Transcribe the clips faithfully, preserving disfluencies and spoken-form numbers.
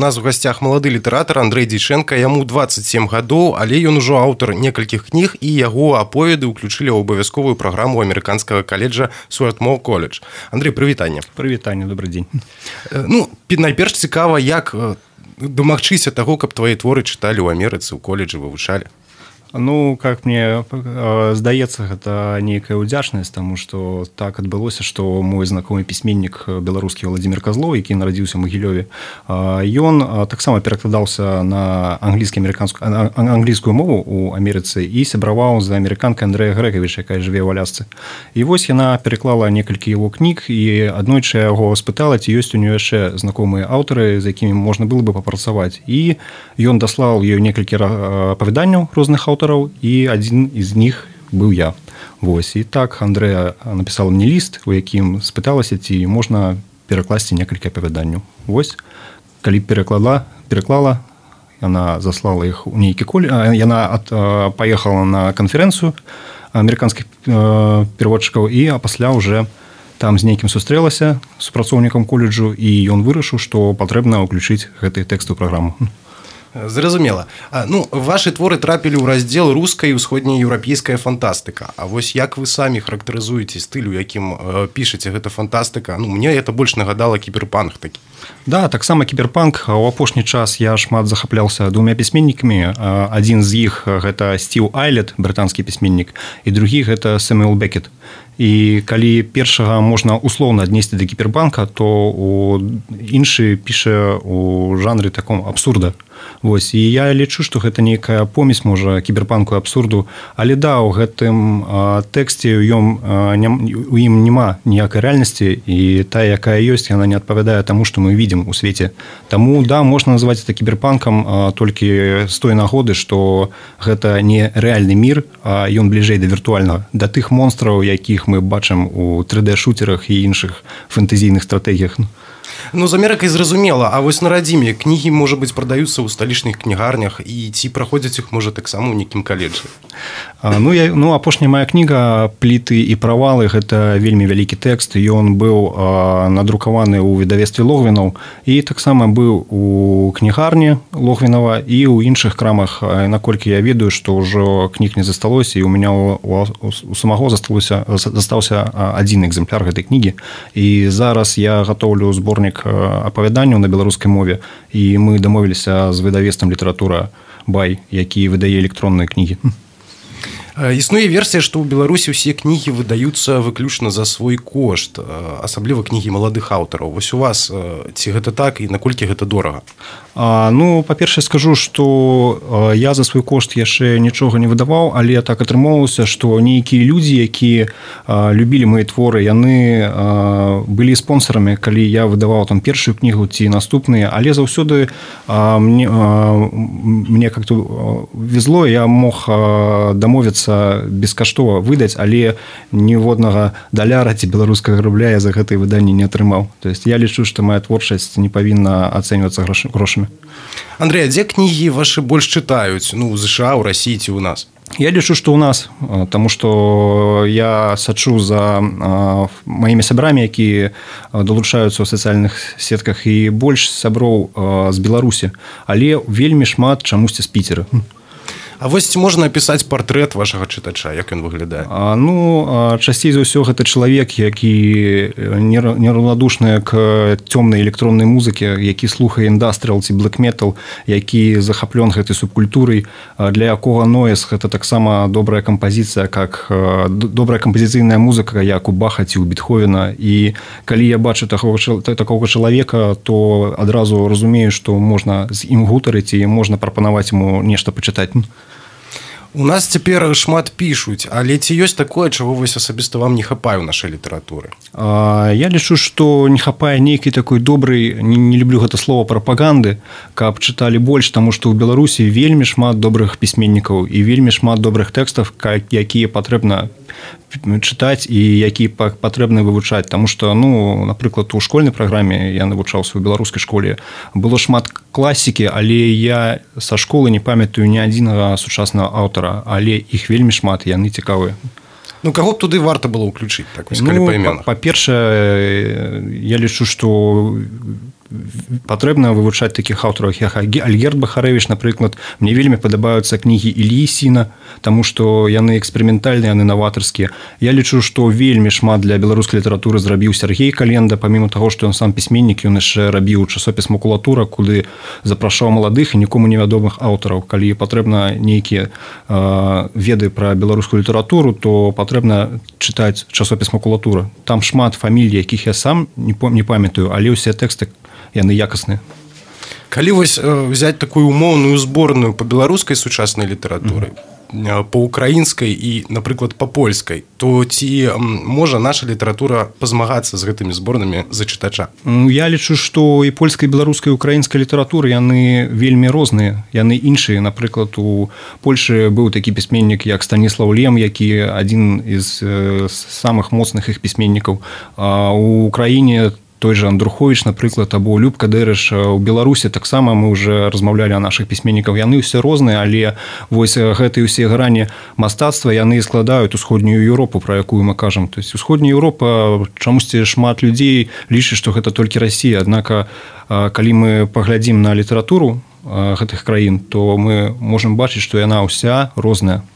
нас у гасцях малады літаратар Андрэй Дзейчэнка, яму дваццаць сем гадоў, але ён ужо аўтар некалькіх кніг, і яго аповеды ўключылі ў абавязковую праграму амерыканскага каледжа Суэртмоу колледж. Андрэй, прывітанне. Прывітанне, добры дзень. Ну, найперш цікава, як дамагчыся таго, каб твае творы чыталі ў Амерыцы, ў колледжы вывучалі? Ну, как мне э, здаецца, гэта нейкая ўдзячнасць, таму што так адбылося, што мой знакомы пісьменнік беларускі Владзімір Казлоў, які нарадзіўся ў Магілёве, э, ён э, таксама перакладаўся на англійскі-амерыканскую а, англійскую мову ў Амерыцы і сябраваў з амерыканкай Андрэя Грэкавіча, якая жыве ў Алясцы. І вось яна пераклала некалькі яго кніг, і аднойчы яго спытала, ці ёсць у нее яшчэ знакомыя аўтары, з якімі можна было бы папрацаваць. І ён даслаў ёй некалькі апавяданняў розных аўтараў, і адзін з них быў я. Вось. І так Андрэя напісала мне ліст, у якім спыталася, ці можна перакласці некалькі апавяданняў. Вось. Калі пераклала, пераклала, яна заслала іх у нейкі колледж, яна ад, паехала на канферэнцыю амерыканскіх пераводчыкаў, і а пасля уже там з нейкім сустрэлася з супрацоўнікам колледжу, і ён вырашыў, што патрэбна ўключыць гэты тэкст у праграму. Зразумела. Ну, вашы творы трапілі ў раздзел руская і ўсходнееўрапейская фантастыка. А вось як вы самі характарызуеце стыль, у якім э, пішаце гэта фантастыка? Ну, мне это больш нагадала кіберпанк такі. Да, таксама кіберпанк. У апошні час я шмат захапляўся двумя пісьменнікамі. Адзін з іх гэта Стів Айлет, брытанскі пісьменнік, і другі гэта Сэмюэл Бекет. І калі першага можна услоўна аднесці да кіберпанка, то у іншы піша у жанры таком абсурда. Вось. І я лічу, што гэта нейкая помесь, можа, кіберпанку і абсурду, але да, у гэтым а, тэксце у ім, а, не, у ім няма ніякай рэальнасці, і тая, якая ёсць, яна не адпавядае таму, што мы видим у свеце. Таму, да, можна называць это кіберпанкам а, толькі з той нагоды, што гэта не рэальны мір, а ён бліжэй да віртуальнага, да тых монстраў, якіх мы бачым у тры дэ-шутерах і іншых фэнтэзійных стратэгіях. Ну, з Амерыкай зразумела, а вось на радзіме кнігі, можа быць, прадаюцца ў сталічных кнігарнях, і ці праходзяць іх, можа, таксама ў нейкім каледжы? А, ну, я, ну, апошняя моя кніга «Пліты і правалы» – гэта вельмі вялікі тэкст, ён быў а, надрукаваны ў выдавецтве Логвінаў, і таксама быў у кнігарні Логвінава і ў іншых крамах, наколькі я ведаю, што ўжо кніг не засталося, і у мяне у, у, у самого засталося, застаўся адзін экземпляр гэтай кнігі, і зараз я гатоўлю зборнік апавяданняў на беларускай мове, і мы дамовіліся з выдавецтвам «Літаратура Бай», які выдае электронныя кнігі. Існуе версія, што ў Беларусі ўсе кнігі выдаюцца выключна за свой кошт, асабліва кнігі маладых аўтараў. Вось у вас ці гэта так і наколькі гэта дорага? А, ну, па-першае, скажу, што я за свой кошт яшчэ нічога не выдаваў, але так атрымоўвалася, што нейкія людзі, якія любілі мае творы, яны былі спонсарамі, калі я выдаваў там першую кнігу ці наступныя, але заўсёды мне, мне как-то везло, я мог дамовіцца бескаштова выдаць, але ніводнага даляра ці беларускага рубля я за гэтае выданне не атрымаў. То есть я лічу, што моя творчасць не павінна ацэньвацца грошамі. Андрэй, а дзе кнігі вашы больш чытаюць? Ну, у ЗША, у Расіі ці ў нас? Я лічу, што ў нас, таму што я сачу за маімі сябрамі, якія далучаюцца ў сацыяльных сетках, і больш сяброў з Беларусі, але вельмі шмат чамусьці з Піцера. А вось можна апісаць партрэт вашага чытача, як ён выглядае? А, ну, часцей за ўсё гэта чалавек, які нераўнадушны к цёмнай электроннай музыке, які слухае індастрыал ці блэк-метал, які захаплён гэтай субкультурай, для якога ноэз гэта таксама добрая кампазіцыя, как добрая кампазіцыйная музыка, як у Баха ці у Бетховена. І калі я бачу такого, такого чалавека, то адразу разумею, што можна з ім гутарыць і можна прапанаваць яму нешта пачытаць. У нас цяпер шмат пішуць, але ці ёсць такое, чаго вось асабіста вам не хапае ў нашай літаратуры? А, я лічу, што не хапае нейкай такой добрай, не, не люблю гэта слова, прапаганды, каб чыталі больш, таму што ў Беларусі вельмі шмат добрых пісьменнікаў і вельмі шмат добрых тэкстаў, якія патрэбна чытаць і які патрэбна вывучаць, таму што, ну, напрыклад, у школьнай праграме я навучаўся ў беларускай школе, было шмат класікі, але я са школы не памятаю ні адзінага сучаснага аўтара, але іх вельмі шмат, яны цікавыя. Ну, каго б туды варта было ўключыць, так вось, калі ну, па імёнах? Па-першае, я лічу, што патрэбна вывучаць такіх аўтараў, як Альгерд Бахарэвіч, напрыклад. Мне вельмі падабаюцца кнігі Іллі Сіна, таму што яны эксперыментальныя, яны наватарскія. Я лічу, што вельмі шмат для беларускай літаратуры зрабіў Сергей Календа, памімо таго, што ён сам пісьменнік, ён яшчэ рабіў часопіс «Макулатура», куды запрашаў маладых і нікому невядомых аўтараў. Калі патрэбна нейкія э, веды пра беларускую літаратуру, то патрэбна чытаць часопіс «Макулатура». Там шмат фамілій, якіх я сам не, не памятаю, але ўсе тэксты яны якасныя. Калі вось взять такую умоўную зборную па беларускай сучаснай літаратуры, mm-hmm. па украінскай і, напрыклад, па польскай, то ці можа наша літаратура пазмагацца з гэтымі зборнымі за чытача? Я лічу, што і польскай, беларускай, украінскай літаратуры яны вельмі розныя, яны іншыя. Напрыклад, у Польшы быў такі пісьменнік, як Станіслаў Лем, які адзін з самых моцных іх пісьменнікаў. А у Украіне той же Андрухович, напрыклад, або Любка Дэрыш. У Беларусі таксама мы уже размаўлялі о наших пісьменнікаў. Яны ўсе розныя, але вось гэтыя ўсе грані мастацтва яны складаюць усходнюю Еўропу, пра якую мы кажам. То есть усходняя Еўропа, чамусьці шмат людзей лічыць, што гэта толькі Расія. Аднак, калі мы паглядзім на літаратуру гэтых краін, то мы можам бачыць, што яна ўся розная.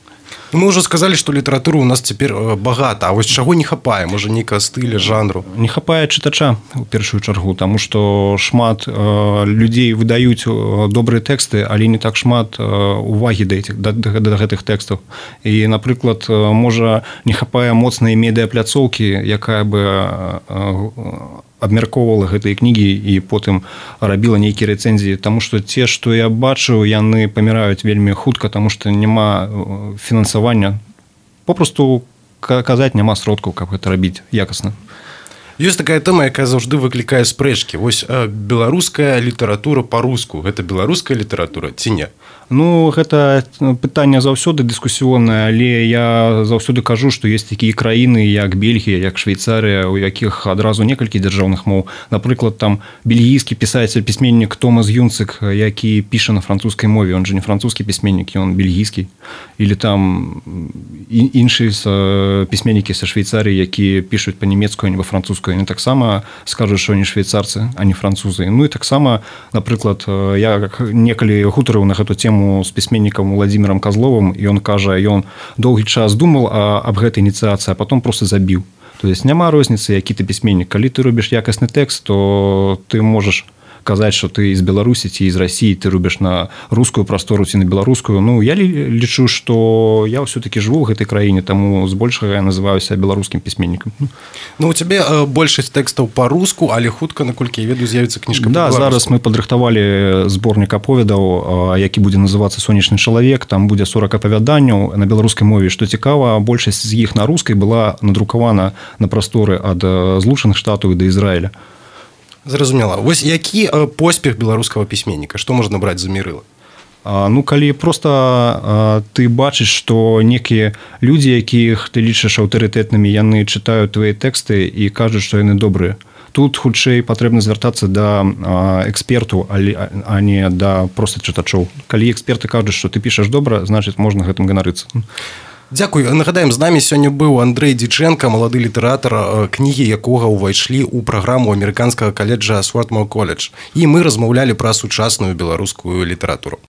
Мы ўжо сказалі, што літаратуры у нас цяпер багата, а вось чаго не хапае, можа нейкага стыля, жанру? Не хапае чытача у першую чаргу, таму што шмат людзей выдаюць добрыя тэксты, але не так шмат увагі да, да, да гэтых тэкстаў. І, напрыклад, можа не хапае моцнай медыапляцоўкі, якая бы абмяркоўвала гэтыя кнігі і потым рабіла нейкія рэцэнзіі, таму што те, што я бачыў, яны паміраюць вельмі хутка, таму што няма фінансавання. Попросту казаць няма сродкаў, каб гэта рабіць якасна. Ёсць такая тэма, якая заўжды выклікае спрэчкі. Вось беларуская літаратура па-руску, гэта беларуская літаратура ці не? Ну, гэта пытанне заўсёды дыскусіённае, але я заўсёды кажу, што ёсць такія краіны, як Бельгія, як Швейцарыя, у якіх адразу некалькі дзяржаўных моў. Напрыклад, там бельгійскі пісатель, пісьменнік Томас Юнцык, які піша на французскай мове, он же не французскі пісьменнік, ён бельгійскі. Или там іншыя пісьменнікі са Швейцарыі, які пішуць па-нямецку, а не па-французску, яны таксама скажуць, што они швейцарцы, а не французы. Ну і таксама, напрыклад, я некалі гутарыў на гэту тему з пісьменнікам Владзімірам Казловым, і ён кажа, ён доўгі час думаў аб гэтай ініцыяцыі, а потом просто забіў. То есть няма розніцы, які ты пісьменнік. Калі ты робіш якасны тэкст, то ты можаш казаць, што ты з Беларусі ці з Расіі, ты робіш на рускую прастору ці на беларускую. Ну, я лічу, што я ўсё-такі жыву ў гэтай краіне, таму збольшага я называюся беларускім пісьменнікам. Ну, у цябе большасць тэкстаў па-руску, але хутка, наколькі я ведаю, з'явіцца кніжка па-беларуску. Да, зараз мы падрыхтавалі зборнік аповедаў, які будзе называцца «Сонечны чалавек». Там будзе сорак апавяданняў на беларускай мове. Што цікава, большасць з іх на рускай была надрукавана на прасторы ад Злучаных Штатаў да Ізраіля. Зразумела. Вось які поспех беларускага пісьменніка? Што можна браць за мерыла? Ну, калі проста ты бачыш, што некія людзі, якіх ты лічыш аўтарытэтнымі, яны чытаюць твае тэксты і кажуць, што яны добрыя. Тут хутчэй патрэбна звяртацца да эксперту, а не да проста чытачоў. Калі эксперты кажуць, што ты пішаш добра, значыць, можна гэтым ганарыцца. Дзякуй. Нагадаем, з намі сёння быў Андрэй Дзічэнка, малады літаратар, кнігі якога ўвайшлі ў праграму амерыканскага каледжа Свордмоу коледж. І мы размаўлялі пра сучасную беларускую літаратуру.